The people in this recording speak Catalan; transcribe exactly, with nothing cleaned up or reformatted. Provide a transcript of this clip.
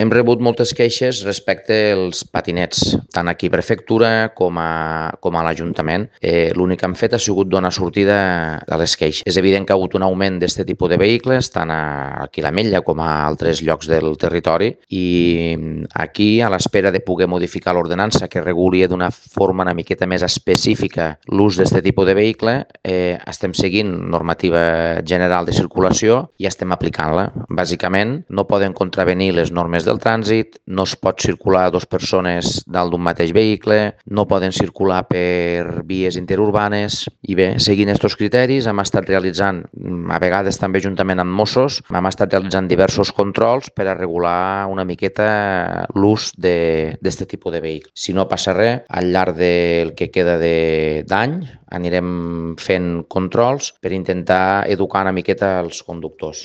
Hem rebut moltes queixes respecte als patinets, tant aquí a prefectura com a, com a l'Ajuntament. Eh, L'únic que hem fet ha sigut donar sortida a les queixes. És evident que ha hagut un augment d'aquest tipus de vehicles, tant aquí a l'Ametlla com a altres llocs del territori, i aquí, a l'espera de poder modificar l'ordenança que reguli d'una forma una miqueta més específica l'ús d'aquest tipus de vehicle, eh, estem seguint normativa general de circulació i estem aplicant-la. Bàsicament, no poden contravenir les normes del trànsit, no es pot circular dues persones dalt d'un mateix vehicle, no poden circular per vies interurbanes i bé, seguint aquests criteris hem estat realitzant, a vegades també juntament amb Mossos, hem estat realitzant diversos controls per a regular una miqueta l'ús d'aquest tipus de vehicle. Si no passa res, al llarg del que queda d'any anirem fent controls per intentar educar una miqueta els conductors.